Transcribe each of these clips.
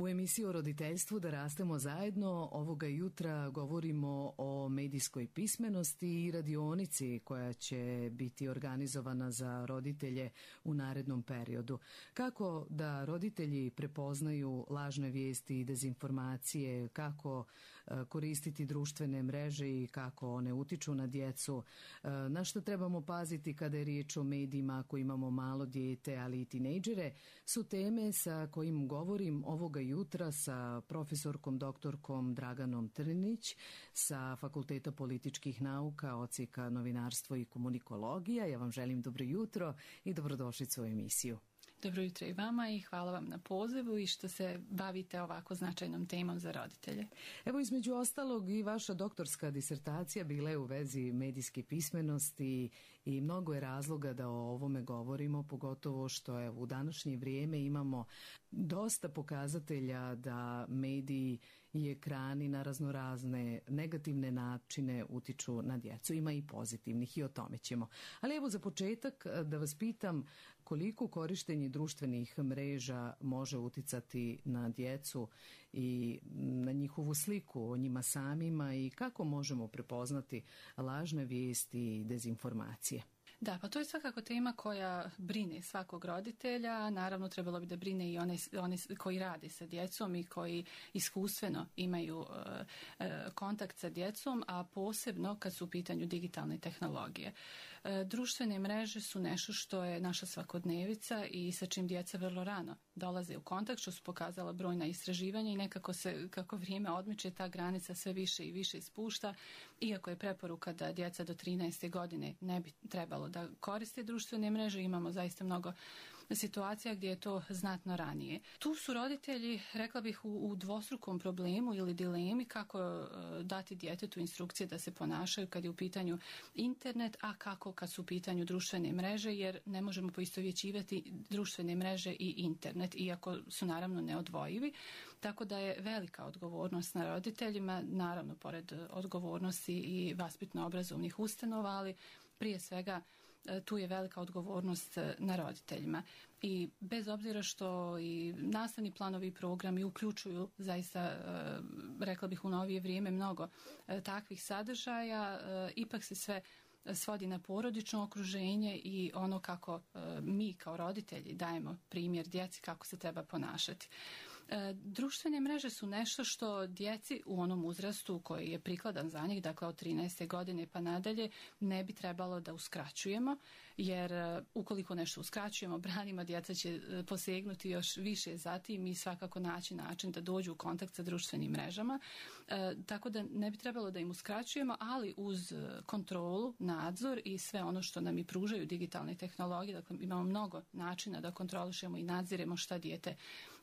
U emisiji o roditeljstvu Da rastemo zajedno ovoga jutra govorimo o medijskoj pismenosti i radionici koja će biti organizovana za roditelje u narednom periodu. Kako da roditelji prepoznaju lažne vijesti i dezinformacije, kako koristiti društvene mreže i kako one utiču na djecu, na što trebamo paziti kada je riječ o medijima ako imamo malo dijete, ali i tinejdžere, su teme sa kojim govorim ovoga jutra sa profesorkom doktorkom Draganom Trnić sa Fakulteta političkih nauka, odsjeka novinarstvo i komunikologija. Ja vam želim dobro jutro i dobrodošlicu u emisiju. Dobro jutro i vama i hvala vam na pozivu i što se bavite ovako značajnom temom za roditelje. Evo, između ostalog i vaša doktorska disertacija bila je u vezi medijske pismenosti i mnogo je razloga da o ovome govorimo, pogotovo što je u današnje vrijeme imamo dosta pokazatelja da mediji i ekrani na raznorazne negativne načine utiču na djecu. Ima i pozitivnih i o tome ćemo. Ali evo za početak da vas pitam koliko korištenje društvenih mreža može uticati na djecu i na njihovu sliku o njima samima i kako možemo prepoznati lažne vijesti i dezinformacije. Da, pa to je svakako tema koja brine svakog roditelja, naravno trebalo bi da brine i one koji rade sa djecom i koji iskustveno imaju kontakt sa djecom, a posebno kad su u pitanju digitalne tehnologije. Društvene mreže su nešto što je naša svakodnevica i sa čim djeca vrlo rano dolaze u kontakt, što su pokazala brojna istraživanja i nekako se, kako vrijeme odmiče, ta granica sve više i više spušta, iako je preporuka da djeca do 13. godine ne bi trebalo da koriste društvene mreže, imamo zaista mnogo situacija gdje je to znatno ranije. Tu su roditelji, rekla bih, u dvostrukom problemu ili dilemi kako dati djetetu instrukcije da se ponašaju kad je u pitanju internet, a kako kad su u pitanju društvene mreže, jer ne možemo poistovjećivati društvene mreže i internet, iako su naravno neodvojivi, tako da je velika odgovornost na roditeljima, naravno pored odgovornosti i vaspitno-obrazovnih ustanova, ali prije svega tu je velika odgovornost na roditeljima. I bez obzira što i nastavni planovi i programi uključuju zaista, rekla bih u novije vrijeme, mnogo takvih sadržaja, ipak se sve svodi na porodično okruženje i ono kako mi kao roditelji dajemo primjer djeci kako se treba ponašati. Društvene mreže su nešto što djeci u onom uzrastu koji je prikladan za njih, dakle od 13. godine pa nadalje, ne bi trebalo da uskraćujemo, jer ukoliko nešto uskraćujemo, branimo, djeca će posegnuti još više zatim i svakako naći način da dođu u kontakt sa društvenim mrežama, tako da ne bi trebalo da im uskraćujemo, ali uz kontrolu, nadzor i sve ono što nam i pružaju digitalne tehnologije, dakle imamo mnogo načina da kontrolišemo i nadziremo šta dijete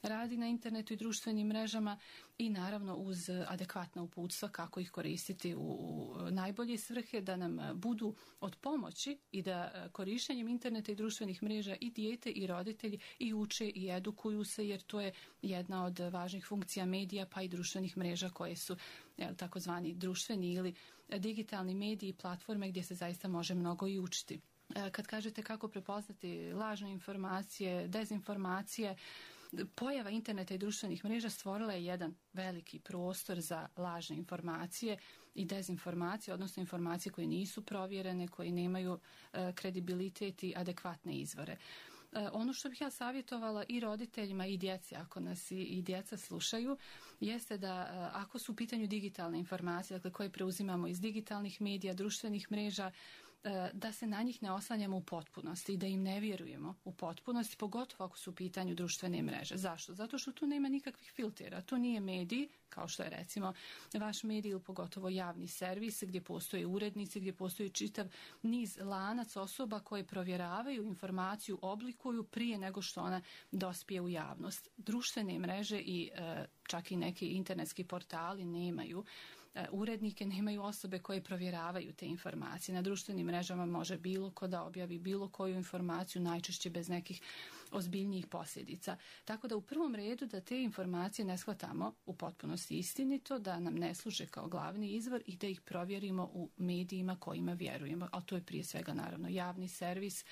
radi na internetu i društvenim mrežama i naravno uz adekvatna uputstva kako ih koristiti u najbolje svrhe, da nam budu od pomoći i da korištenjem interneta i društvenih mreža i dijete i roditelji i uče i edukuju se, jer to je jedna od važnih funkcija medija pa i društvenih mreža koje su takozvani društveni ili digitalni mediji i platforme gdje se zaista može mnogo i učiti. Kad kažete kako prepoznati lažne informacije, dezinformacije, pojava interneta i društvenih mreža stvorila je jedan veliki prostor za lažne informacije i dezinformacije, odnosno informacije koje nisu provjerene, koje nemaju kredibilitet i adekvatne izvore. Ono što bih ja savjetovala i roditeljima i djeci, ako nas i djeca slušaju, jeste da ako su u pitanju digitalne informacije, dakle koje preuzimamo iz digitalnih medija, društvenih mreža, da se na njih ne oslanjamo u potpunosti i da im ne vjerujemo u potpunosti, pogotovo ako su u pitanju društvene mreže. Zašto? Zato što tu nema nikakvih filtera. To nije medij, kao što je recimo vaš medij ili pogotovo javni servis gdje postoje urednici, gdje postoji čitav niz lanac osoba koje provjeravaju informaciju, oblikuju prije nego što ona dospije u javnost. Društvene mreže i čak i neki internetski portali nemaju urednike, nemaju osobe koje provjeravaju te informacije. Na društvenim mrežama može bilo ko da objavi bilo koju informaciju, najčešće bez nekih ozbiljnijih posljedica. Tako da u prvom redu da te informacije ne shvatamo u potpunosti istinito, da nam ne služe kao glavni izvor i da ih provjerimo u medijima kojima vjerujemo. Ali to je prije svega naravno javni servis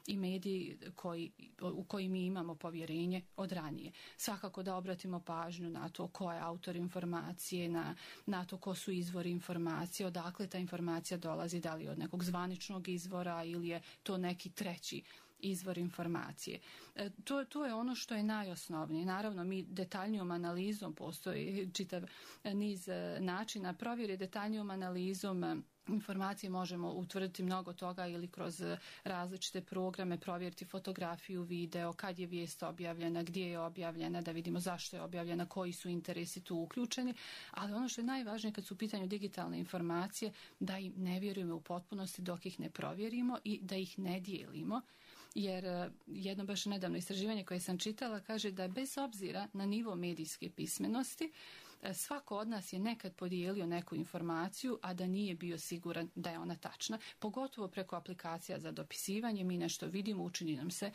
i mediji u koji mi imamo povjerenje od ranije. Svakako da obratimo pažnju na to ko je autor informacije, na to ko su izvori informacije, odakle ta informacija dolazi, da li od nekog zvaničnog izvora ili je to neki treći izvor informacije. To je ono što je najosnovnije. Naravno, mi detaljnijom analizom, postoji čitav niz načina provjere, detaljnijom analizom informacije možemo utvrditi mnogo toga ili kroz različite programe, provjeriti fotografiju, video, kad je vijest objavljena, gdje je objavljena, da vidimo zašto je objavljena, koji su interesi tu uključeni. Ali ono što je najvažnije kad su u pitanju digitalne informacije, da im ne vjerujemo u potpunosti dok ih ne provjerimo i da ih ne dijelimo. Jer jedno baš nedavno istraživanje koje sam čitala kaže da bez obzira na nivo medijske pismenosti, svako od nas je nekad podijelio neku informaciju, a da nije bio siguran da je ona tačna. Pogotovo preko aplikacija za dopisivanje, mi nešto vidimo, učini nam se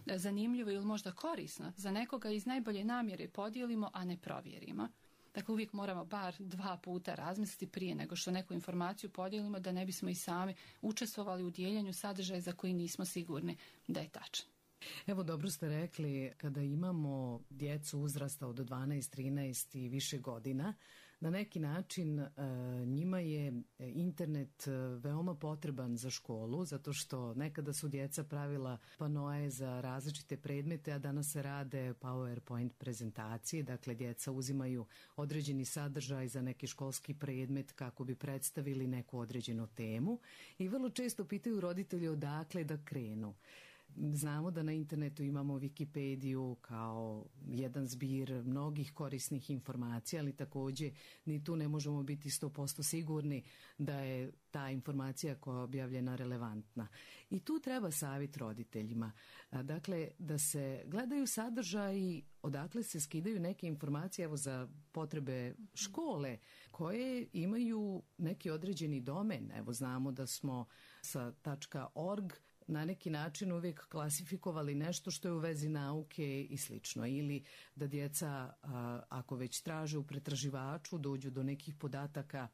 zanimljivo ili možda korisno. Za nekoga iz najbolje namjere podijelimo, a ne provjerimo. Dakle, uvijek moramo bar 2 puta razmisliti prije nego što neku informaciju podijelimo, da ne bismo i sami učestvovali u dijeljenju sadržaja za koji nismo sigurni da je tačan. Evo, dobro ste rekli, kada imamo djecu uzrasta od 12, 13 i više godina, na neki način njima je internet veoma potreban za školu, zato što nekada su djeca pravila panoe za različite predmete, a danas se rade PowerPoint prezentacije, dakle djeca uzimaju određeni sadržaj za neki školski predmet kako bi predstavili neku određenu temu i vrlo često pitaju roditelji odakle da krenu. Znamo da na internetu imamo Wikipediju kao jedan zbir mnogih korisnih informacija, ali također ni tu ne možemo biti 100% sigurni da je ta informacija koja je objavljena relevantna. I tu treba savjet roditeljima. Dakle, da se gledaju sadržaji odakle se skidaju neke informacije, evo za potrebe škole, koje imaju neki određeni domen. Evo znamo da smo sa .org na neki način uvijek klasifikovali nešto što je u vezi nauke i slično. Ili da djeca, ako već traže u pretraživaču, dođu do nekih podataka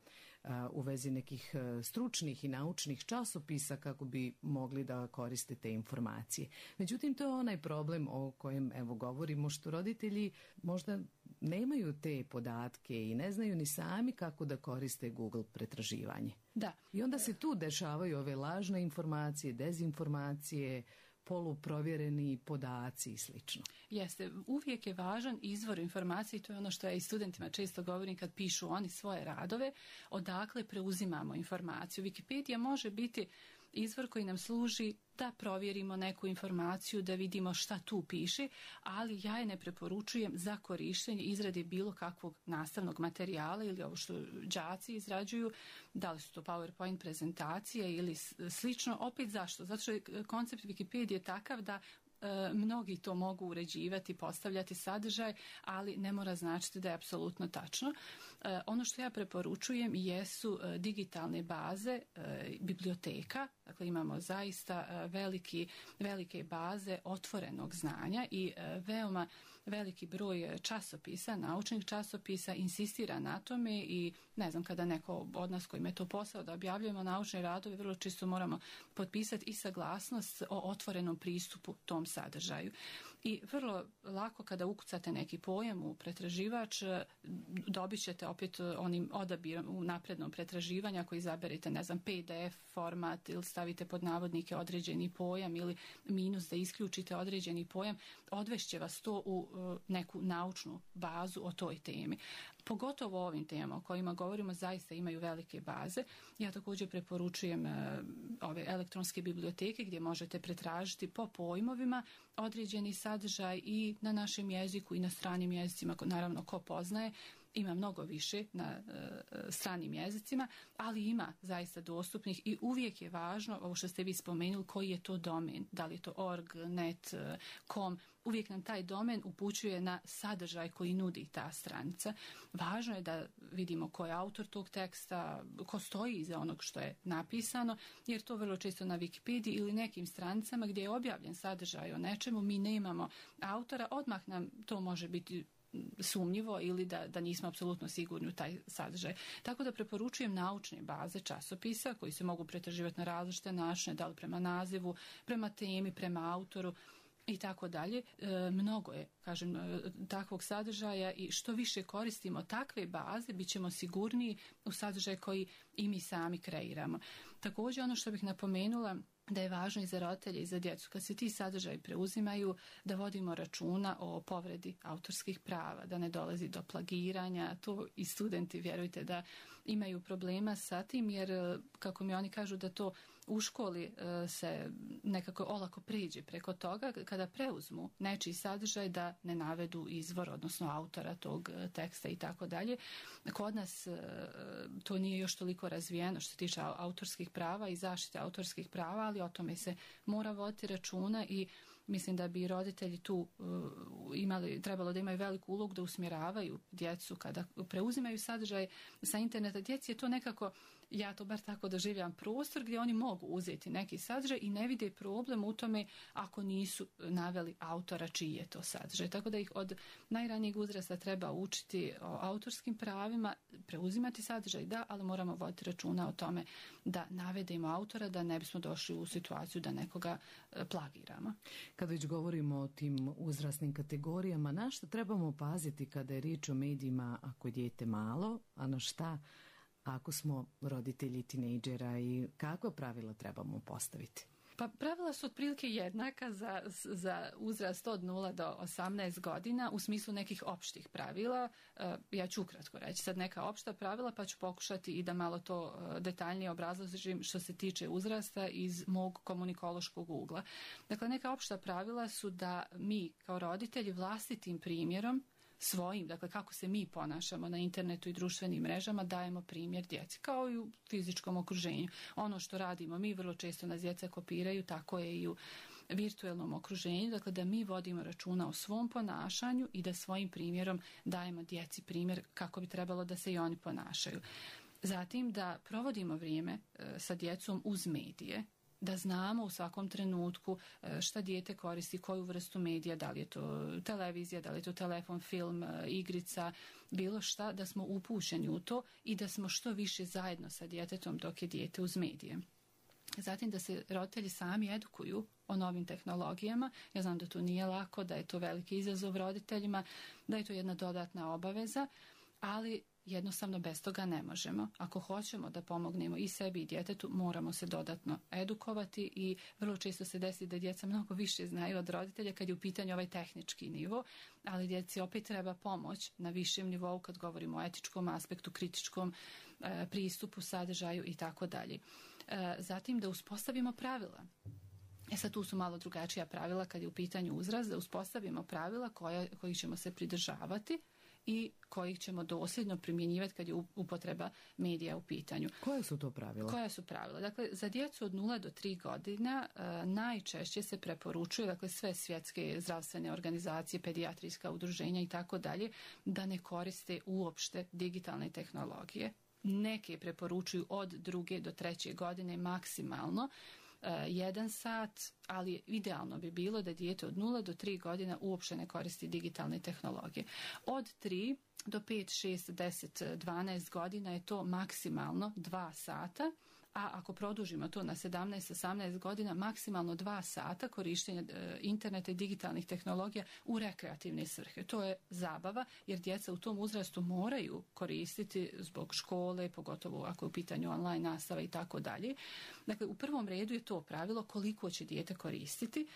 u vezi nekih stručnih i naučnih časopisa kako bi mogli da koriste te informacije. Međutim, to je onaj problem o kojem evo govorimo, što roditelji možda nemaju te podatke i ne znaju ni sami kako da koriste Google pretraživanje. Da. I onda se tu dešavaju ove lažne informacije, dezinformacije, poluprovjereni podaci i slično. Jeste, uvijek je važan izvor informacije i to je ono što ja i studentima često govorim kad pišu oni svoje radove, odakle preuzimamo informaciju. Wikipedia može biti izvor koji nam služi da provjerimo neku informaciju, da vidimo šta tu piše, ali ja je ne preporučujem za korištenje izrade bilo kakvog nastavnog materijala ili ovo što đaci izrađuju, da li su to PowerPoint prezentacije ili slično. Opet zašto? Zato što je koncept Wikipedije takav da mnogi to mogu uređivati, postavljati sadržaj, ali ne mora značiti da je apsolutno tačno. Ono što ja preporučujem jesu digitalne baze biblioteka. Dakle, imamo zaista velike baze otvorenog znanja i veoma veliki broj časopisa, naučnih časopisa insistira na tome i ne znam, kada neko od nas koji je to posao da objavljujemo naučne radove, vrlo često moramo potpisati i saglasnost o otvorenom pristupu tom sadržaju. I vrlo lako kada ukucate neki pojam u pretraživač, dobit ćete opet onim odabirom u naprednom pretraživanja, ako izaberete, ne znam, PDF format ili stavite pod navodnike određeni pojam ili minus da isključite određeni pojam, odvešće vas to u neku naučnu bazu o toj temi. Pogotovo ovim temama o kojima govorimo zaista imaju velike baze. Ja također preporučujem ove elektronske biblioteke gdje možete pretražiti po pojmovima određeni sadržaj i na našem jeziku i na stranim jezicima, naravno ko poznaje. Ima mnogo više na stranim jezicima, ali ima zaista dostupnih i uvijek je važno, ovo što ste vi spomenuli, koji je to domen, da li je to org, net, com, uvijek nam taj domen upućuje na sadržaj koji nudi ta stranica. Važno je da vidimo ko je autor tog teksta, ko stoji iza onog što je napisano, jer to vrlo često na Wikipediji ili nekim stranicama gdje je objavljen sadržaj o nečemu, mi nemamo autora, odmah nam to može biti sumnjivo ili da nismo apsolutno sigurni u taj sadržaj. Tako da preporučujem naučne baze časopisa koji se mogu pretraživati na različite načine, da li prema nazivu, prema temi, prema autoru i tako dalje. Mnogo je, kažem, takvog sadržaja i što više koristimo takve baze, bit ćemo sigurniji u sadržaj koji i mi sami kreiramo. Također, ono što bih napomenula, da je važno i za roditelje i za djecu, kad se ti sadržaji preuzimaju, da vodimo računa o povredi autorskih prava, da ne dolazi do plagiranja. To i studenti, vjerujte, da imaju problema sa tim, jer kako mi oni kažu da to u školi se nekako olako priđe preko toga, kada preuzmu nečiji sadržaj da ne navedu izvor, odnosno autora tog teksta i tako dalje. Kod nas to nije još toliko razvijeno što se tiče autorskih prava i zaštite autorskih prava, ali o tome se mora voditi računa i mislim da bi roditelji tu trebalo da imaju veliku ulogu da usmjeravaju djecu kada preuzimaju sadržaj sa interneta. Djeci je to nekako, ja to bar tako doživljam, prostor gdje oni mogu uzeti neki sadržaj i ne vide problem u tome ako nisu naveli autora čiji je to sadržaj. Tako da ih od najranijeg uzrasta treba učiti o autorskim pravima, preuzimati sadržaj, da, ali moramo voditi računa o tome da navedemo autora, da ne bismo došli u situaciju da nekoga plagiramo. Kad već govorimo o tim uzrasnim kategorijama, na što trebamo paziti kada je riječ o medijima ako je dijete malo, a na šta ako smo roditelji tinejdžera i kakva pravila trebamo postaviti? Pa pravila su otprilike jednaka za uzrast od 0 do 18 godina u smislu nekih opštih pravila. Ja ću ukratko reći sad neka opšta pravila, pa ću pokušati i da malo to detaljnije obrazložim što se tiče uzrasta iz mog komunikološkog ugla. Dakle, neka opšta pravila su da mi kao roditelji vlastitim primjerom svojim, dakle kako se mi ponašamo na internetu i društvenim mrežama, dajemo primjer djeci, kao i u fizičkom okruženju. Ono što radimo mi, vrlo često nas djeca kopiraju, tako je i u virtualnom okruženju, dakle da mi vodimo računa o svom ponašanju i da svojim primjerom dajemo djeci primjer kako bi trebalo da se i oni ponašaju. Zatim da provodimo vrijeme sa djecom uz medije, da znamo u svakom trenutku šta dijete koristi, koju vrstu medija, da li je to televizija, da li je to telefon, film, igrica, bilo šta, da smo upućeni u to i da smo što više zajedno sa djetetom dok je dijete uz medije. Zatim da se roditelji sami edukuju o novim tehnologijama. Ja znam da to nije lako, da je to veliki izazov roditeljima, da je to jedna dodatna obaveza, ali jednostavno bez toga ne možemo. Ako hoćemo da pomognemo i sebi i djetetu, moramo se dodatno edukovati i vrlo često se desi da djeca mnogo više znaju od roditelja kad je u pitanju ovaj tehnički nivo, ali djeci opet treba pomoć na višem nivou kad govorimo o etičkom aspektu, kritičkom pristupu, sadržaju i tako dalje. Zatim da uspostavimo pravila. Sad tu su malo drugačija pravila kad je u pitanju uzrast, da uspostavimo pravila kojih ćemo se pridržavati i kojih ćemo dosljedno primjenjivati kad je upotreba medija u pitanju. Koje su to pravila? Koja su pravila? Dakle, za djecu od 0 do 3 godina najčešće se preporučuje, dakle sve svjetske zdravstvene organizacije, pedijatrijska udruženja i tako dalje, da ne koriste uopšte digitalne tehnologije. Neke preporučuju od 2 do 3 godine maksimalno 1 sat, ali idealno bi bilo da dijete od 0 do 3 godina uopće ne koristi digitalne tehnologije. Od 3 do 5, 6, 10, 12 godina je to maksimalno 2 sata, a ako produžimo to na 17, 18 godina, maksimalno 2 sata korištenja interneta i digitalnih tehnologija u rekreativne svrhe. To je zabava, jer djeca u tom uzrastu moraju koristiti zbog škole, pogotovo ako je u pitanju online nastava i tako dalje. Dakle, u prvom redu je to pravilo koliko će dijete koristiti.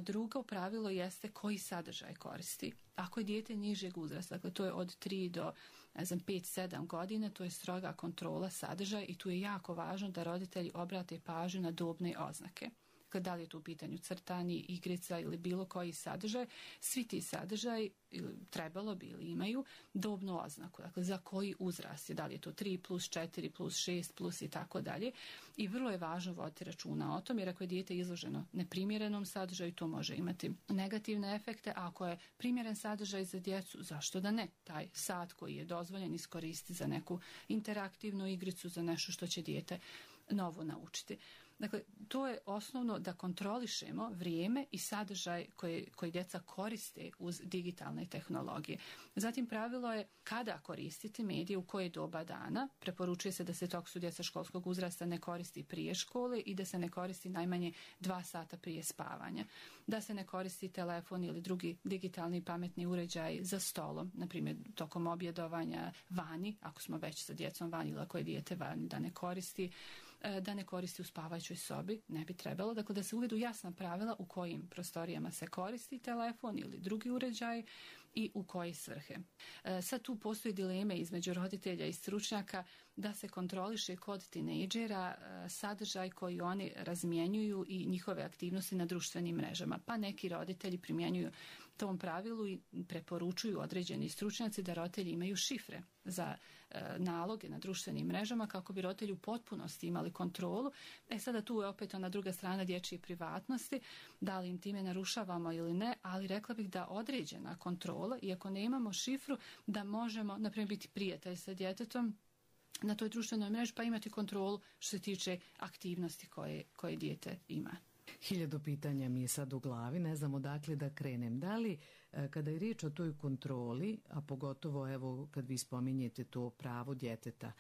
Drugo pravilo jeste koji sadržaj koristi. Ako je dijete nižeg uzrasta, dakle to je od 3 do 5-7 godina, to je stroga kontrola sadržaja i tu je jako važno da roditelji obrate pažnju na dobne oznake. Da li je tu u pitanju crtani, igrica ili bilo koji sadržaj, svi ti sadržaji trebalo bi ili imaju dobnu oznaku. Dakle, za koji uzrast je, da li je to 3 plus 4 plus 6 plus i tako dalje. I vrlo je važno voditi računa o tom, jer ako je dijete izloženo neprimjerenom sadržaju, to može imati negativne efekte. A ako je primjeren sadržaj za djecu, zašto da ne? Taj sat koji je dozvoljen iskoristi za neku interaktivnu igricu, za nešto što će dijete novo naučiti. Dakle, to je osnovno da kontrolišemo vrijeme i sadržaj koji djeca koriste uz digitalne tehnologije. Zatim pravilo je kada koristiti medije, u koje doba dana. Preporučuje se da se dok su djeca školskog uzrasta ne koristi prije škole i da se ne koristi najmanje 2 sata prije spavanja. Da se ne koristi telefon ili drugi digitalni pametni uređaj za stolom, na primjer tokom objedovanja vani, ako smo već sa djecom vani ili ako je dijete vani, da ne koristi u spavajućoj sobi, ne bi trebalo. Dakle, da se uvedu jasna pravila u kojim prostorijama se koristi telefon ili drugi uređaj i u koje svrhe. Sad tu postoji dileme između roditelja i stručnjaka da se kontroliše kod tinejdžera sadržaj koji oni razmjenjuju i njihove aktivnosti na društvenim mrežama. Pa neki roditelji primjenjuju tom pravilu i preporučuju određeni stručnjaci da roditelji imaju šifre za naloge na društvenim mrežama kako bi roditelji u potpunosti imali kontrolu. Sada tu je opet ona druga strana dječje privatnosti, da li im time narušavamo ili ne, ali rekla bih da određena kontrola, iako ne imamo šifru, da možemo, na primjer, biti prijatelj sa djetetom na toj društvenoj mreži pa imati kontrolu što se tiče aktivnosti koje dijete ima. 1000 pitanja mi je sad u glavi, ne znam odakle da krenem. Da li, kada je riječ o toj kontroli, a pogotovo evo kad vi spominjete to pravo djeteta,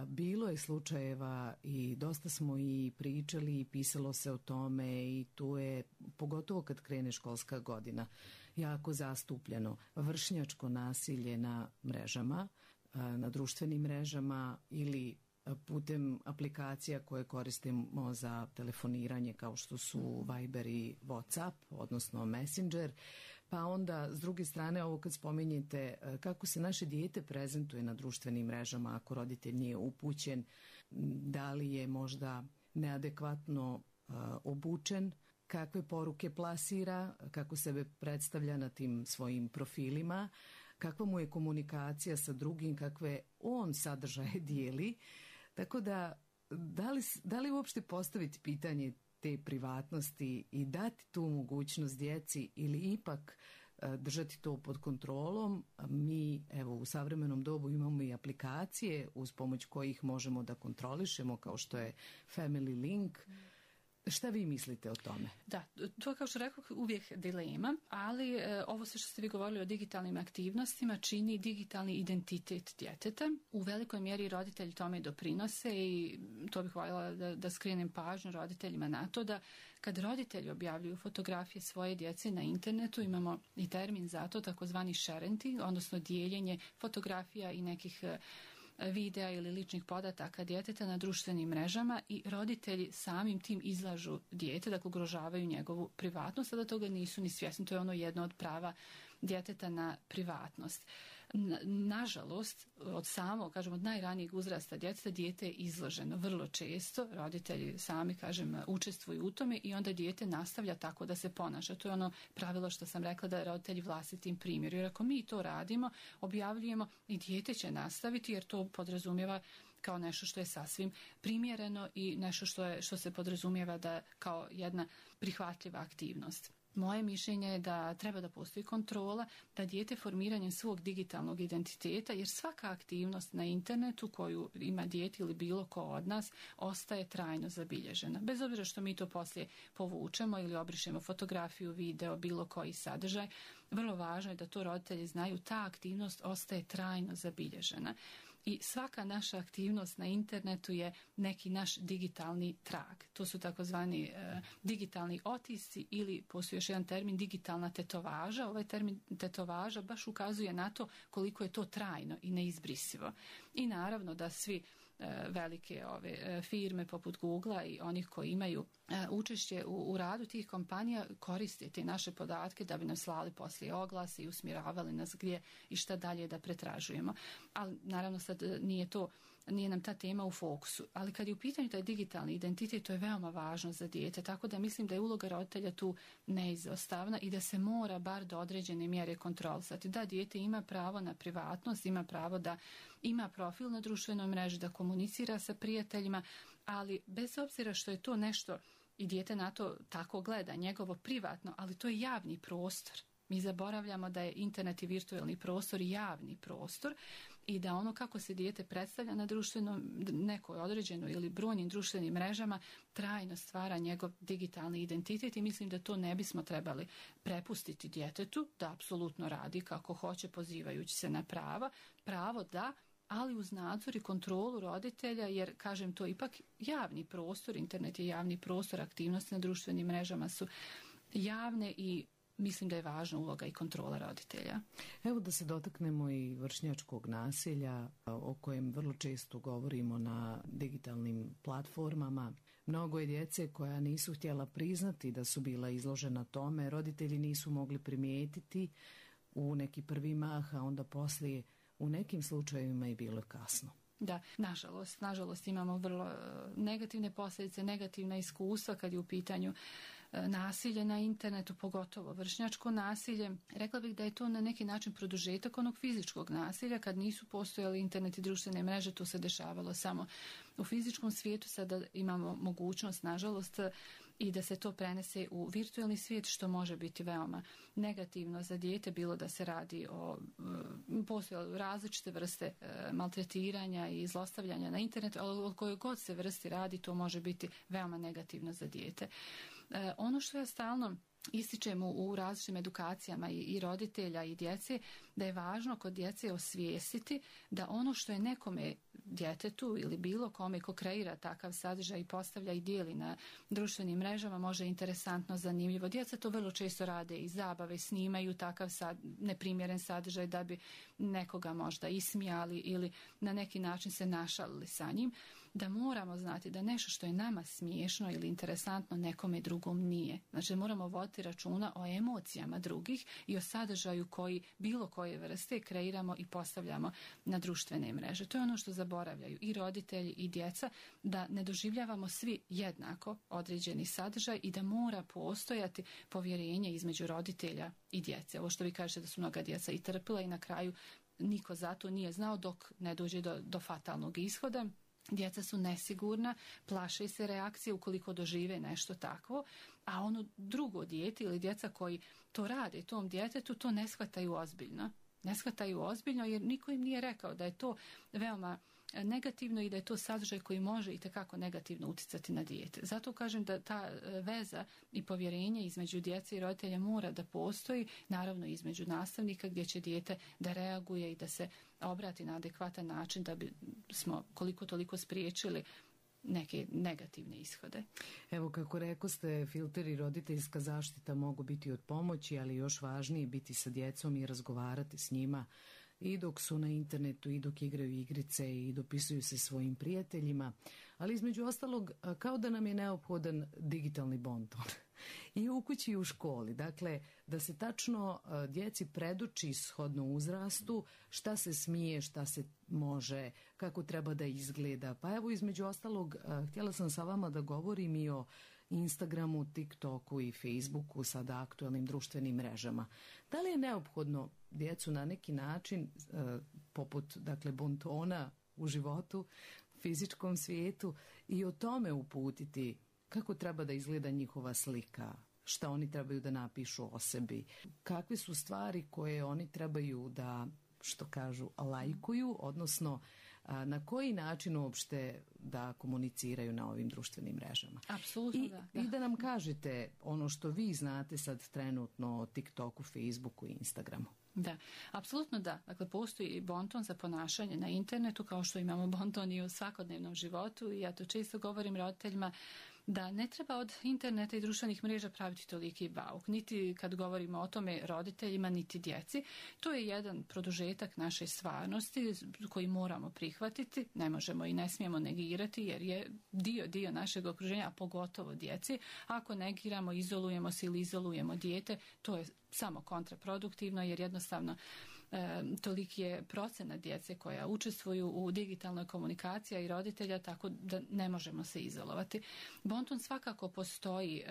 bilo je slučajeva i dosta smo i pričali i pisalo se o tome i tu je, pogotovo kad krene školska godina, jako zastupljeno vršnjačko nasilje na mrežama, na društvenim mrežama ili putem aplikacija koje koristimo za telefoniranje kao što su Viber i WhatsApp, odnosno Messenger. Pa onda s druge strane ovo kad spominjete kako se naše dijete prezentuje na društvenim mrežama ako roditelj nije upućen, da li je možda neadekvatno obučen, kakve poruke plasira, kako sebe predstavlja na tim svojim profilima, kakva mu je komunikacija sa drugim, kakve on sadržaje dijeli. Tako da li uopšte postaviti pitanje te privatnosti i dati tu mogućnost djeci ili ipak držati to pod kontrolom? Mi evo u savremenom dobu imamo i aplikacije uz pomoć kojih možemo da kontrolišemo kao što je Family Link. Šta vi mislite o tome? Da, to kao što rekao uvijek dilema, ali ovo sve što ste vi govorili o digitalnim aktivnostima čini digitalni identitet djeteta. U velikoj mjeri roditelji tome doprinose i to bih voljela da skrenem pažnju roditeljima na to da kad roditelji objavljuju fotografije svoje djece na internetu, imamo i termin za to, takozvani sharenting, odnosno dijeljenje fotografija i nekih videa ili ličnih podataka djeteta na društvenim mrežama i roditelji samim tim izlažu dijete, dakle ugrožavaju njegovu privatnost, a da toga nisu ni svjesni. To je ono jedno od prava djeteta na privatnost. Nažalost, od najranijeg uzrasta djeteta dijete je izloženo vrlo često, roditelji sami, učestvuju u tome i onda dijete nastavlja tako da se ponaša. To je ono pravilo što sam rekla da roditelji vlastitim primjeru. Jer ako mi to radimo, objavljujemo i dijete će nastaviti jer to podrazumijeva kao nešto što je sasvim primjereno i nešto što se podrazumijeva da kao jedna prihvatljiva aktivnost. Moje mišljenje je da treba da postoji kontrola, da dijete formiranjem svog digitalnog identiteta, jer svaka aktivnost na internetu koju ima dijete ili bilo ko od nas, ostaje trajno zabilježena. Bez obzira što mi to poslije povučemo ili obrišemo fotografiju, video, bilo koji sadržaj, vrlo važno je da to roditelji znaju, ta aktivnost ostaje trajno zabilježena. I svaka naša aktivnost na internetu je neki naš digitalni trag. To su takozvani digitalni otisci ili postoji još jedan termin digitalna tetovaža. Ovaj termin tetovaža baš ukazuje na to koliko je to trajno i neizbrisivo. I naravno da svi velike firme poput Googlea i onih koji imaju učešće u radu tih kompanija koriste te naše podatke da bi nam slali poslije oglase i usmjeravali nas gdje i šta dalje da pretražujemo. Ali naravno sad nije nam ta tema u fokusu. Ali kad je u pitanju taj digitalni identitet, to je veoma važno za dijete, tako da mislim da je uloga roditelja tu neizostavna i da se mora bar do određene mjere kontrolisati. Da dijete ima pravo na privatnost, ima pravo da ima profil na društvenoj mreži, da komunicira sa prijateljima, ali bez obzira što je to nešto i dijete na to tako gleda, njegovo privatno, ali to je javni prostor. Mi zaboravljamo da je internet i virtualni prostor javni prostor i da ono kako se dijete predstavlja na društvenom, nekoj određenoj ili brojnim društvenim mrežama trajno stvara njegov digitalni identitet i mislim da to ne bismo trebali prepustiti djetetu da apsolutno radi kako hoće pozivajući se na pravo da, ali uz nadzor i kontrolu roditelja, jer kažem to je ipak javni prostor, internet je javni prostor, aktivnosti na društvenim mrežama su javne i mislim da je važna uloga i kontrola roditelja. Evo da se dotaknemo i vršnjačkog nasilja o kojem vrlo često govorimo na digitalnim platformama. Mnogo je djece koja nisu htjela priznati da su bila izložena tome, roditelji nisu mogli primijetiti u neki prvi mah, a onda poslije u nekim slučajevima je bilo kasno. Da, nažalost imamo vrlo negativne posljedice, negativna iskustva kad je u pitanju nasilje na internetu, pogotovo vršnjačko nasilje. Rekla bih da je to na neki način produžetak onog fizičkog nasilja. Kad nisu postojali internet i društvene mreže, to se dešavalo samo u fizičkom svijetu. Sada imamo mogućnost, nažalost, i da se to prenese u virtualni svijet, što može biti veoma negativno za dijete, bilo da se radi o postoje različite vrste maltretiranja i zlostavljanja na internetu, ali o kojoj god se vrsti radi, to može biti veoma negativno za dijete. Ono što ja stalno ističem u različitim edukacijama i roditelja i djece, da je važno kod djece osvijestiti da ono što je nekome djetetu ili bilo kome ko kreira takav sadržaj i postavlja i dijeli na društvenim mrežama može interesantno, zanimljivo. Djeca to vrlo često rade i zabave, snimaju takav neprimjeren sadržaj da bi nekoga možda ismijali ili na neki način se našalili sa njim. Da moramo znati da nešto što je nama smiješno ili interesantno nekome drugom nije. Znači moramo voditi računa o emocijama drugih i o sadržaju koji bilo koje vrste kreiramo i postavljamo na društvene mreže. To je ono što zaboravljaju i roditelji i djeca, da ne doživljavamo svi jednako određeni sadržaj i da mora postojati povjerenje između roditelja i djece. Ovo što vi kažete da su mnoga djeca i trpila i na kraju niko za to nije znao dok ne dođe do fatalnog ishoda. Djeca su nesigurna, plaše se reakcije ukoliko dožive nešto takvo, a ono drugo dijete ili djeca koji to rade tom djetetu to ne shvataju ozbiljno. Ne shvataju ozbiljno jer niko im nije rekao da je to veoma negativno i da je to sadržaj koji može itekako negativno utjecati na dijete. Zato kažem da ta veza i povjerenje između djece i roditelja mora da postoji, naravno između nastavnika gdje će dijete da reaguje i da se obrati na adekvatan način da bi smo koliko toliko spriječili neke negativne ishode. Evo kako rekoste, filter i roditeljska zaštita mogu biti od pomoći, ali još važnije biti sa djecom i razgovarati s njima i dok su na internetu i dok igraju igrice i dopisuju se svojim prijateljima, ali između ostalog kao da nam je neophodan digitalni bonton i u kući i u školi. Dakle, da se tačno djeci predoči shodno uzrastu šta se smije, šta se može, kako treba da izgleda. Pa evo između ostalog htjela sam sa vama da govorim i o Instagramu, TikToku i Facebooku, sada aktualnim društvenim mrežama. Da li je neophodno djecu na neki način, poput dakle bontona u životu, fizičkom svijetu, i o tome uputiti kako treba da izgleda njihova slika, šta oni trebaju da napišu o sebi, kakve su stvari koje oni trebaju da, što kažu, lajkuju, odnosno na koji način uopšte da komuniciraju na ovim društvenim mrežama. Apsolutno, da. I da nam kažete ono što vi znate sad trenutno o TikToku, Facebooku i Instagramu. Da, apsolutno da. Dakle, postoji bonton za ponašanje na internetu kao što imamo bonton i u svakodnevnom životu i ja to često govorim roditeljima da ne treba od interneta i društvenih mreža praviti toliki bauk. Niti kad govorimo o tome roditeljima, niti djeci. To je jedan produžetak naše stvarnosti koji moramo prihvatiti. Ne možemo i ne smijemo negirati jer je dio našeg okruženja, a pogotovo djeci. Ako negiramo, izolujemo se ili izolujemo dijete, to je samo kontraproduktivno jer jednostavno toliki je procenat djece koja učestvuju u digitalnoj komunikaciji i roditelja, tako da ne možemo se izolovati. Bonton svakako postoji.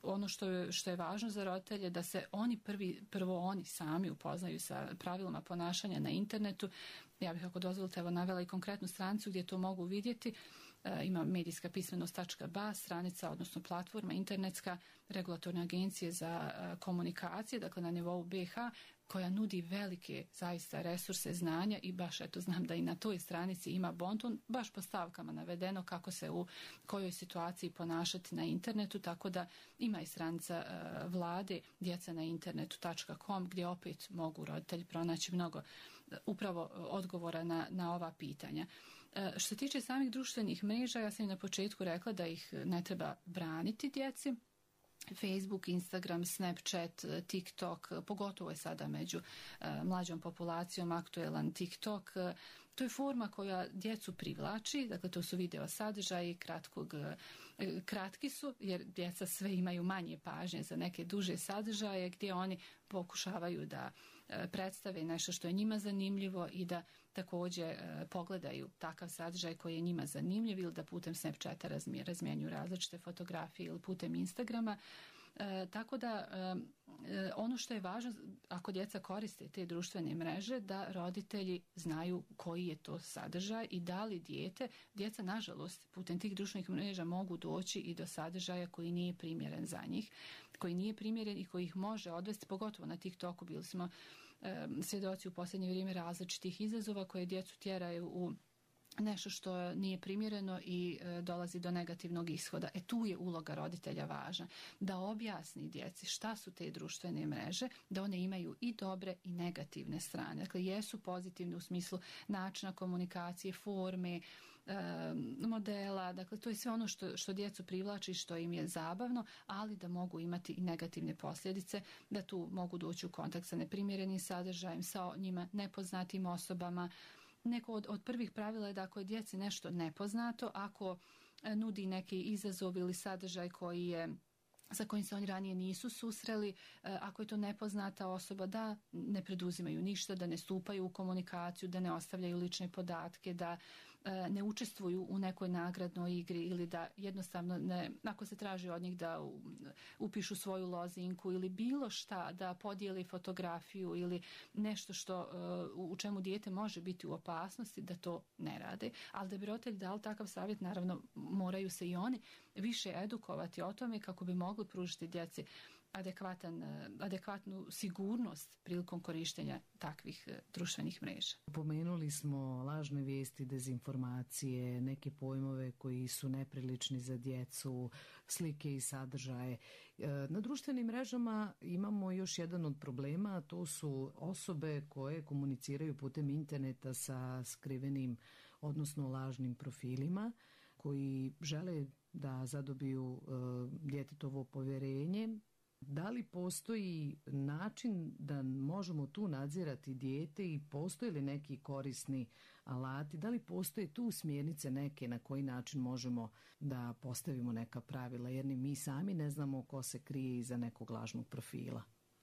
Ono što je važno za roditelje da se prvo oni sami upoznaju sa pravilima ponašanja na internetu. Ja bih, ako dozvolite, navela i konkretnu stranicu gdje to mogu vidjeti. ima medijskapismenost.ba stranica, odnosno platforma internetska regulatorne agencije za komunikacije, dakle na nivou BiH, koja nudi velike zaista resurse znanja i baš eto znam da i na toj stranici ima bonton, baš po stavkama navedeno kako se u kojoj situaciji ponašati na internetu, tako da ima i stranica vlade djeca na internetu.com gdje opet mogu roditelji pronaći mnogo upravo odgovora na ova pitanja. Što se tiče samih društvenih mreža, ja sam i na početku rekla da ih ne treba braniti djeci. Facebook, Instagram, Snapchat, TikTok, pogotovo je sada među mlađom populacijom aktuelan TikTok. To je forma koja djecu privlači, dakle to su video sadržaji, kratki su jer djeca sve imaju manje pažnje za neke duže sadržaje gdje oni pokušavaju da predstave nešto što je njima zanimljivo i da također pogledaju takav sadržaj koji je njima zanimljiv ili da putem Snapchata razmjenjuju različite fotografije ili putem Instagrama. Tako da ono što je važno ako djeca koriste te društvene mreže da roditelji znaju koji je to sadržaj i da li djeca nažalost putem tih društvenih mreža mogu doći i do sadržaja koji nije primjeren za njih, koji nije primjeren i koji ih može odvesti, pogotovo na TikToku bili smo svjedoci u posljednje vrijeme različitih izazova koje djecu tjeraju u nešto što nije primjereno i dolazi do negativnog ishoda. Tu je uloga roditelja važna. Da objasni djeci šta su te društvene mreže, da one imaju i dobre i negativne strane. Dakle, jesu pozitivne u smislu načina komunikacije, forme, modela, dakle to je sve ono što djecu privlači, što im je zabavno, ali da mogu imati i negativne posljedice, da tu mogu doći u kontakt sa neprimjerenim sadržajem, sa njima nepoznatim osobama. Neko od prvih pravila je da ako je djeci nešto nepoznato, ako nudi neki izazov ili sadržaj sa kojim se oni ranije nisu susreli, ako je to nepoznata osoba, da ne preduzimaju ništa, da ne stupaju u komunikaciju, da ne ostavljaju lične podatke, da ne učestvuju u nekoj nagradnoj igri ili da jednostavno ako se traži od njih da upišu svoju lozinku ili bilo šta, da podijeli fotografiju ili nešto u čemu dijete može biti u opasnosti, da to ne rade. Ali da bi roditelji dali takav savjet, naravno moraju se i oni više edukovati o tome kako bi mogli pružiti djeci adekvatnu sigurnost prilikom korištenja takvih društvenih mreža. Pomenuli smo lažne vijesti, dezinformacije, neke pojmove koji su neprilični za djecu, slike i sadržaje. Na društvenim mrežama imamo još jedan od problema, a to su osobe koje komuniciraju putem interneta sa skrivenim, odnosno lažnim profilima, koji žele da zadobiju djetetovo povjerenje. Da li postoji način da možemo tu nadzirati dijete i postoje li neki korisni alati? Da li postoje tu smjernice neke na koji način možemo da postavimo neka pravila? Jer ni mi sami ne znamo ko se krije iza nekog lažnog profila,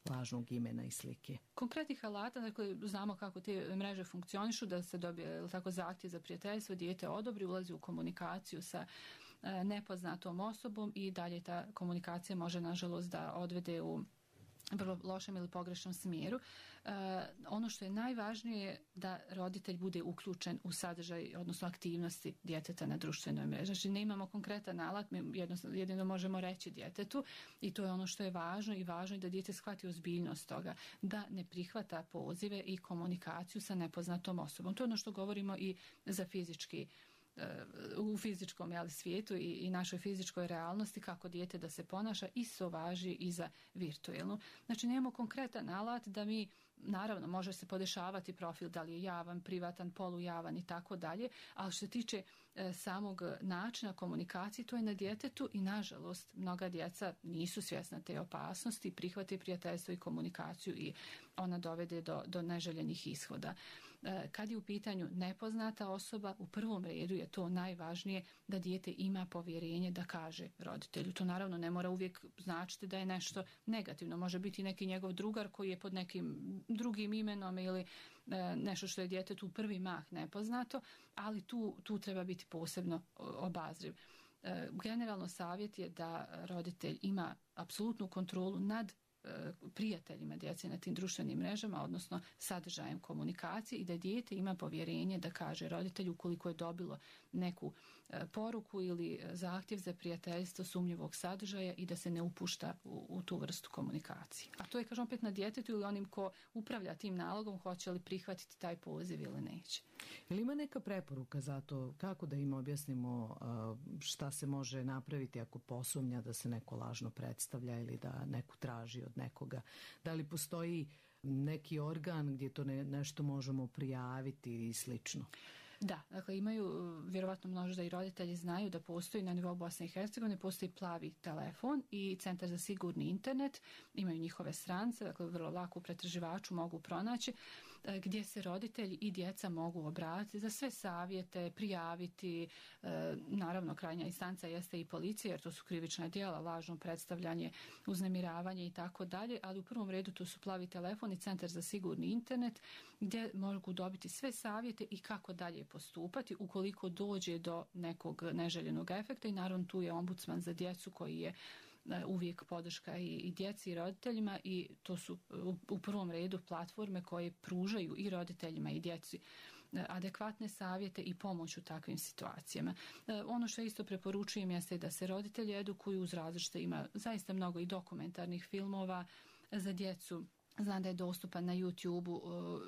lažnog imena i slike. Konkretnih alata, dakle, znamo kako te mreže funkcionišu, da se dobije tako zahtjev za prijateljstvo, dijete odobri, ulazi u komunikaciju sa nepoznatom osobom i dalje ta komunikacija može nažalost da odvede u vrlo lošem ili pogrešnom smjeru. Ono što je najvažnije je da roditelj bude uključen u sadržaj, odnosno aktivnosti djeteta na društvenoj mreži. Znači ne imamo konkretan alat, mi jedino možemo reći djetetu i to je ono što je važno i važno je da dijete shvati ozbiljnost toga, da ne prihvata pozive i komunikaciju sa nepoznatom osobom. To je ono što govorimo i za u fizičkom svijetu i našoj fizičkoj realnosti, kako dijete da se ponaša, isto važi i za virtualnu. Znači nemamo konkretan alat da mi, naravno može se podešavati profil da li je javan, privatan, polujavan i tako dalje, ali što se tiče samog načina komunikacije, to je na djetetu i nažalost mnoga djeca nisu svjesna te opasnosti, prihvate prijateljstvo i komunikaciju i ona dovede do neželjenih ishoda. Kad je u pitanju nepoznata osoba, u prvom redu je to najvažnije da dijete ima povjerenje da kaže roditelju. To naravno ne mora uvijek značiti da je nešto negativno. Može biti neki njegov drugar koji je pod nekim drugim imenom ili nešto što je djetetu u prvi mah nepoznato, ali tu treba biti posebno obazriv. Generalno savjet je da roditelj ima apsolutnu kontrolu nad prijateljima djece na tim društvenim mrežama, odnosno sadržajem komunikacije, i da dijete ima povjerenje da kaže roditelju ukoliko je dobilo neku poruku ili zahtjev za prijateljstvo sumnjivog sadržaja i da se ne upušta u tu vrstu komunikacije. A to je, kažem, opet na djetetu ili onim ko upravlja tim nalogom, hoće li prihvatiti taj poziv ili neće. Ili ima neka preporuka za to kako da im objasnimo šta se može napraviti ako posumnja da se neko lažno predstavlja ili da neko traži od nekoga? Da li postoji neki organ gdje to nešto možemo prijaviti i slično? Da, dakle imaju, vjerovatno možda i roditelji znaju da postoji na nivou Bosne i Hercegovine, postoji plavi telefon i Centar za sigurni internet, imaju njihove stranice, dakle vrlo lako u pretraživaču mogu pronaći, gdje se roditelji i djeca mogu obratiti za sve savjete, prijaviti, naravno krajnja instanca jeste i policija, jer to su krivična djela, lažno predstavljanje, uznemiravanje i tako dalje, ali u prvom redu to su plavi telefon i Centar za sigurni internet, gdje mogu dobiti sve savjete i kako dalje postupati ukoliko dođe do nekog neželjenog efekta, i naravno tu je ombudsman za djecu koji je uvijek podrška i djeci i roditeljima, i to su u prvom redu platforme koje pružaju i roditeljima i djeci adekvatne savjete i pomoć u takvim situacijama. Ono što isto preporučujem jeste da se roditelji edukuju uz različite, ima zaista mnogo i dokumentarnih filmova za djecu. Znam da je dostupan na YouTube-u,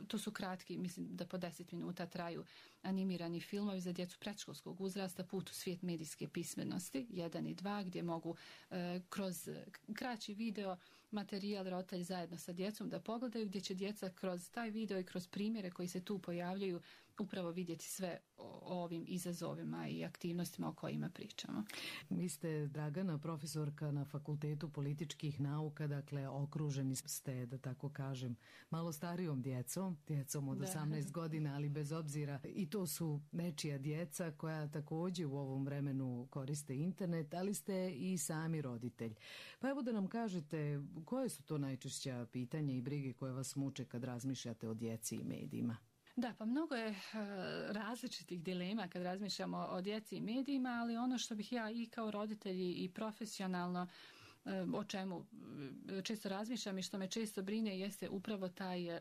to su kratki, mislim da po 10 minuta traju, animirani filmovi za djecu predškolskog uzrasta, Put u svijet medijske pismenosti 1 i 2, gdje mogu kroz kraći video materijal roditelji zajedno sa djecom da pogledaju, gdje će djeca kroz taj video i kroz primjere koji se tu pojavljaju upravo vidjeti sve o ovim izazovima i aktivnostima o kojima pričamo. Vi ste, Dragana, profesorka na Fakultetu političkih nauka, dakle okruženi ste, da tako kažem, malo starijom djecom od 18 godina, ali bez obzira, i to su nečija djeca koja također u ovom vremenu koriste internet, ali ste i sami roditelj. Pa evo da nam kažete koje su to najčešća pitanja i brige koje vas muče kad razmišljate o djeci i medijima? Da, pa mnogo je različitih dilema kad razmišljamo o djeci i medijima, ali ono što bih ja i kao roditelj i profesionalno, o čemu često razmišljam i što me često brine, jeste upravo taj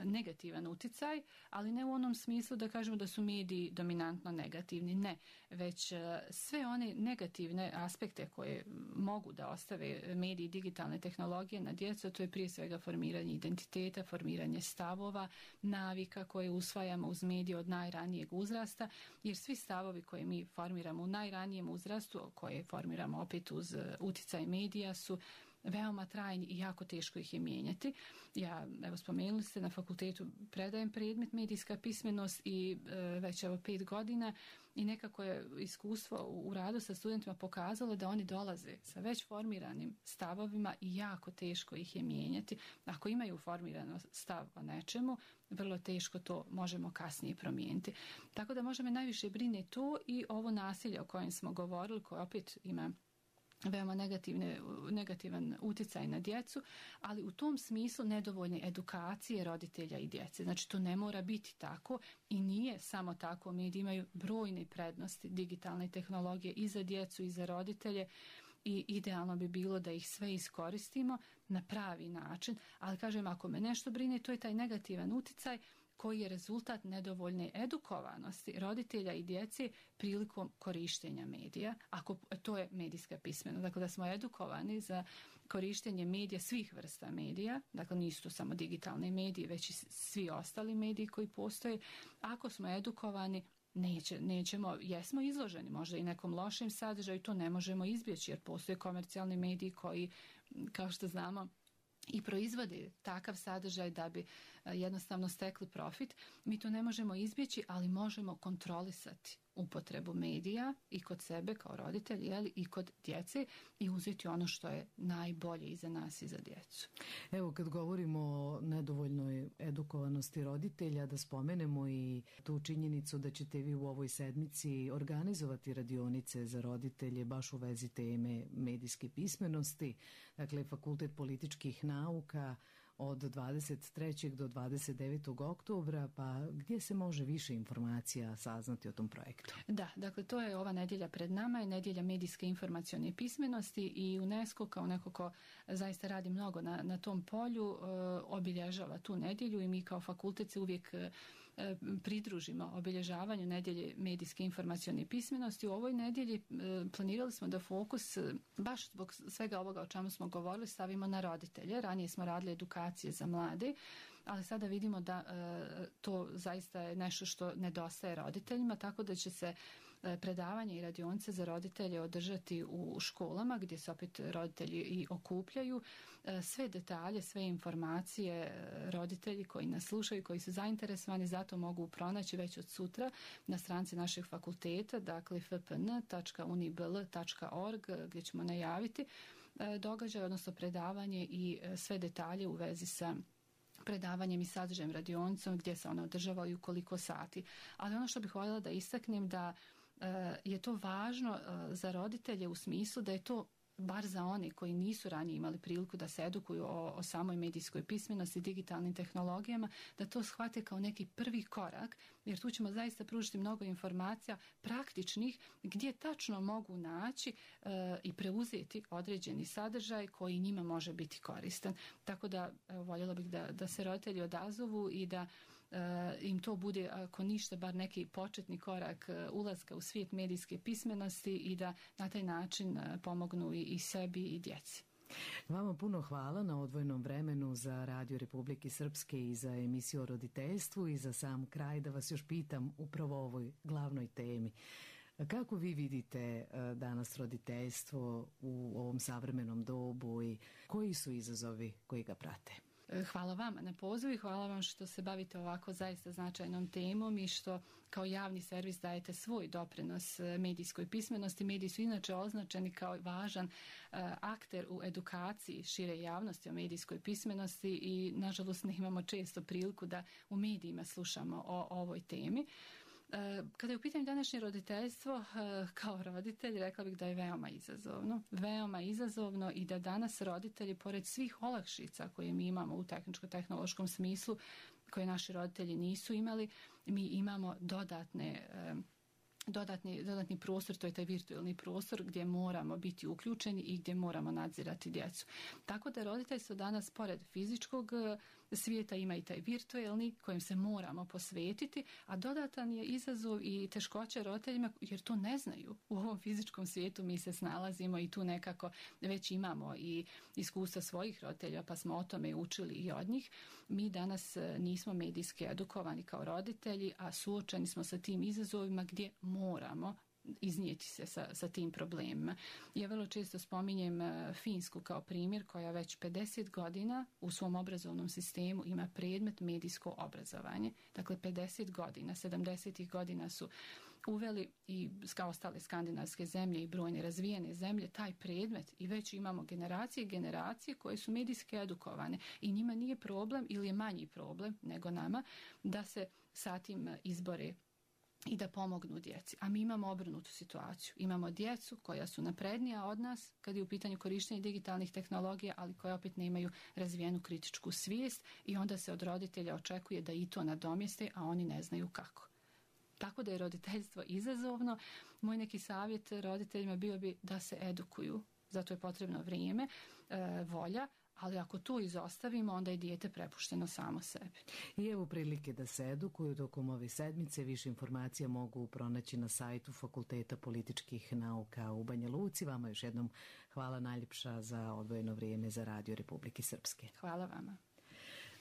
negativan uticaj, ali ne u onom smislu da kažemo da su mediji dominantno negativni, ne, već sve one negativne aspekte koje mogu da ostave mediji i digitalne tehnologije na djecu, to je prije svega formiranje identiteta, formiranje stavova, navika koje usvajamo uz medije od najranijeg uzrasta, jer svi stavovi koje mi formiramo u najranijem uzrastu, koje formiramo opet uz uticaj medija, su veoma trajni i jako teško ih je mijenjati. Ja, evo spomenuli ste, na fakultetu predajem predmet medijska pismenost i već evo 5 godina, i nekako je iskustvo u radu sa studentima pokazalo da oni dolaze sa već formiranim stavovima i jako teško ih je mijenjati. Ako imaju formirano stav o nečemu, vrlo teško to možemo kasnije promijeniti. Tako da možda me najviše brine to i ovo nasilje o kojem smo govorili, koje opet ima veoma negativan utjecaj na djecu, ali u tom smislu nedovoljne edukacije roditelja i djece. Znači to ne mora biti tako i nije samo tako. Mediji imaju brojne prednosti digitalne tehnologije i za djecu i za roditelje, i idealno bi bilo da ih sve iskoristimo na pravi način, ali kažem, ako me nešto brine, to je taj negativan utjecaj koji je rezultat nedovoljne edukovanosti roditelja i djece prilikom korištenja medija, ako to je medijska pismenost. Dakle, da smo edukovani za korištenje medija, svih vrsta medija, dakle nisu to samo digitalne medije, već i svi ostali mediji koji postoje. Ako smo edukovani, nećemo, jesmo izloženi možda i nekom lošem sadržaju, to ne možemo izbjeći jer postoje komercijalni mediji koji, kao što znamo, i proizvode takav sadržaj da bi jednostavno stekli profit. Mi to ne možemo izbjeći, ali možemo kontrolisati upotrebu medija i kod sebe kao roditelj, i kod djece, i uzeti ono što je najbolje i za nas i za djecu. Evo, kad govorimo o nedovoljnoj edukovanosti roditelja, da spomenemo i tu činjenicu da ćete vi u ovoj sedmici organizovati radionice za roditelje baš u vezi teme medijske pismenosti. Dakle, Fakultet političkih nauka od 23. do 29. oktobra, pa gdje se može više informacija saznati o tom projektu? Da, dakle to je ova nedjelja pred nama, je nedjelja medijske informacione pismenosti i UNESCO kao neko ko zaista radi mnogo na tom polju obilježava tu nedjelju i mi kao fakultet se uvijek pridružimo obilježavanju nedjelje medijske informacione pismenosti. U ovoj nedjelji planirali smo da fokus, baš zbog svega ovoga o čemu smo govorili, stavimo na roditelje. Ranije smo radili edukacije za mlade, ali sada vidimo da to zaista je nešto što nedostaje roditeljima, tako da će se predavanje i radionice za roditelje održati u školama gdje se opet roditelji i okupljaju. Sve detalje, sve informacije roditelji koji nas slušaju, koji su zainteresovani zato mogu pronaći već od sutra na stranici našeg fakulteta, dakle fpn.unibl.org gdje ćemo najaviti događaj, odnosno predavanje i sve detalje u vezi sa predavanjem i sadržajem radionicom gdje se ona održava i u koliko sati. Ali ono što bih voljela da istaknem da je to važno za roditelje u smislu da je to bar za one koji nisu ranije imali priliku da se edukuju o samoj medijskoj pismenosti i digitalnim tehnologijama, da to shvate kao neki prvi korak, jer tu ćemo zaista pružiti mnogo informacija praktičnih gdje tačno mogu naći i preuzeti određeni sadržaj koji njima može biti koristan. Tako da voljela bih da se roditelji odazovu i da im to bude, ako ništa, bar neki početni korak ulaska u svijet medijske pismenosti i da na taj način pomognu i sebi i djeci. Vama puno hvala na odvojenom vremenu za Radio Republike Srpske i za emisiju o roditeljstvu i za sam kraj da vas još pitam upravo o ovoj glavnoj temi. Kako vi vidite danas roditeljstvo u ovom savremenom dobu i koji su izazovi koji ga prate? Hvala vama na pozivu i hvala vam što se bavite ovako zaista značajnom temom i što kao javni servis dajete svoj doprinos medijskoj pismenosti. Mediji su inače označeni kao važan akter u edukaciji šire javnosti o medijskoj pismenosti i nažalost ne imamo često priliku da u medijima slušamo o ovoj temi. Kada je u pitanju današnje roditeljstvo, kao roditelj rekla bih da je veoma izazovno i da danas roditelji, pored svih olakšica koje mi imamo u tehničko-tehnološkom smislu, koje naši roditelji nisu imali, mi imamo dodatni prostor, to je taj virtualni prostor gdje moramo biti uključeni i gdje moramo nadzirati djecu. Tako da roditeljstvo danas pored fizičkog svijeta ima i taj virtualni kojem se moramo posvetiti, a dodatan je izazov i teškoće roditeljima jer to ne znaju. U ovom fizičkom svijetu mi se snalazimo i tu nekako već imamo i iskustva svojih roditelja pa smo o tome učili i od njih. Mi danas nismo medijski edukovani kao roditelji, a suočeni smo sa tim izazovima gdje moramo iznijeti se sa tim problemima. Ja vrlo često spominjem Finsku kao primjer koja već 50 godina u svom obrazovnom sistemu ima predmet medijsko obrazovanje. Dakle, 50 godina, 70. godina su uveli i kao ostale skandinavske zemlje i brojne razvijene zemlje taj predmet i već imamo generacije koje su medijski edukovane i njima nije problem ili je manji problem nego nama da se sa tim izbore i da pomognu djeci. A mi imamo obrnutu situaciju. Imamo djecu koja su naprednija od nas kad je u pitanju korištenja digitalnih tehnologija, ali koje opet nemaju razvijenu kritičku svijest i onda se od roditelja očekuje da i to nadomjeste, a oni ne znaju kako. Tako da je roditeljstvo izazovno. Moj neki savjet roditeljima bio bi da se edukuju. Zato je potrebno vrijeme, volja, ali ako to izostavimo, onda je dijete prepušteno samo sebi. I evo prilike da se edukuju tokom ove sedmice. Više informacija mogu pronaći na sajtu Fakulteta političkih nauka u Banja Luci. Vama još jednom hvala najljepša za odvojeno vrijeme za Radio Republike Srpske. Hvala vama.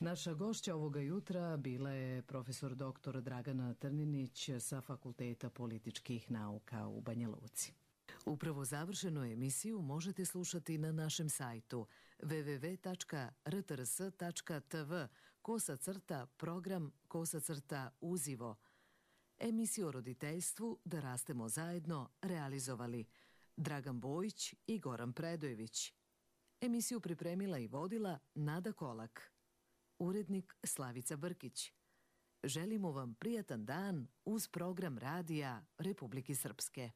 Naša gošća ovoga jutra bila je profesor dr. Dragana Trninić sa Fakulteta političkih nauka u Banja Luci. Upravo završenu emisiju možete slušati na našem sajtu www.rtrs.tv/program/uzivo. Emisiju o roditeljstvu Da rastemo zajedno realizovali Dragan Bojić i Goran Predojević. Emisiju pripremila i vodila Nada Kolak. Urednik Slavica Brkić. Želimo vam prijatan dan uz program Radija Republike Srpske.